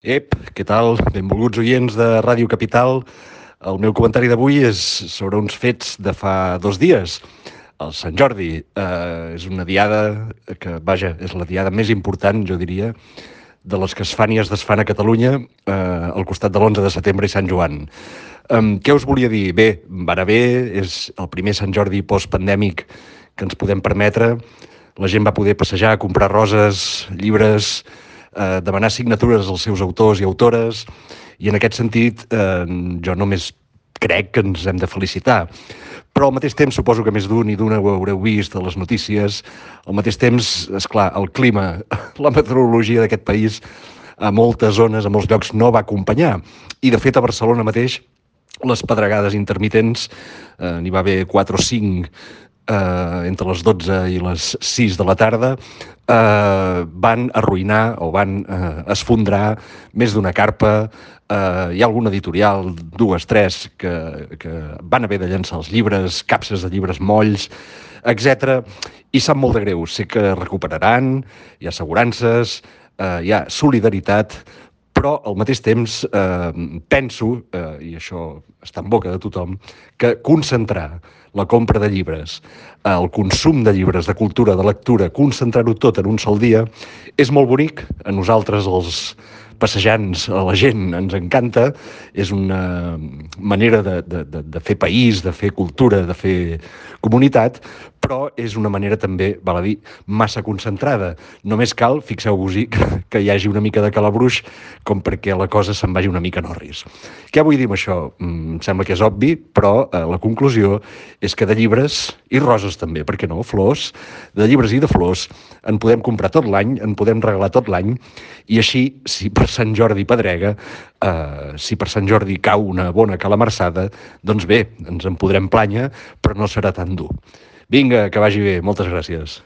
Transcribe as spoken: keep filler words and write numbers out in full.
Ep, què tal? Benvolguts oients de Ràdio Capital. El meu comentari d'avui és sobre uns fets de fa dos dies. El Sant Jordi eh, és una diada que, vaja, és la diada més important, jo diria, de les que es fan i es desfan a Catalunya eh, al costat de l'onze de setembre i Sant Joan. Um, què us volia dir? Bé, va anar bé, és el primer Sant Jordi postpandèmic que ens podem permetre. La gent va poder passejar, comprar roses, llibres, eh, demanar signatures als seus autors i autores, i en aquest sentit eh, jo només crec que ens hem de felicitar. Però al mateix temps, suposo que més d'un i d'una ho haureu vist a les notícies, al mateix temps, és clar, el clima, la meteorologia d'aquest país a moltes zones, a molts llocs, no va acompanyar. I, de fet, a Barcelona mateix, les pedregades intermitents, eh, n'hi va haver quatre o cinc eh, entre les dotze i les sis de la tarda, eh, van arruïnar o van eh, esfondrar més d'una carpa. Eh, hi ha algun editorial, dues, tres, que, que van haver de llançar els llibres, capses de llibres molls, etcètera. I sap molt de greu. Sé que recuperaran, hi ha assegurances, eh, hi ha solidaritat, però al mateix temps eh, penso, eh, i això està en boca de tothom, que concentrar la compra de llibres, el consum de llibres, de cultura, de lectura, concentrar-ho tot en un sol dia, és molt bonic. A nosaltres, els passejants, a la gent, ens encanta. És una manera de, de, de, de fer país, de fer cultura, de fer comunitat, però és una manera també, val a dir, massa concentrada. Només cal, fixeu-vos-hi, que, que hi hagi una mica de calabruix com perquè la cosa se'n vagi una mica en orris. Què vull dir amb això? Em sembla que és obvi, però eh, la conclusió és que de llibres, i roses també, per què no, flors, de llibres i de flors, en podem comprar tot l'any, en podem regalar tot l'any, i així, si per Sant Jordi pedrega, eh, si per Sant Jordi cau una bona calamarsada, doncs bé, ens en podrem plànyer, però no serà tan dur. Vinga, que vagi bé. Moltes gràcies.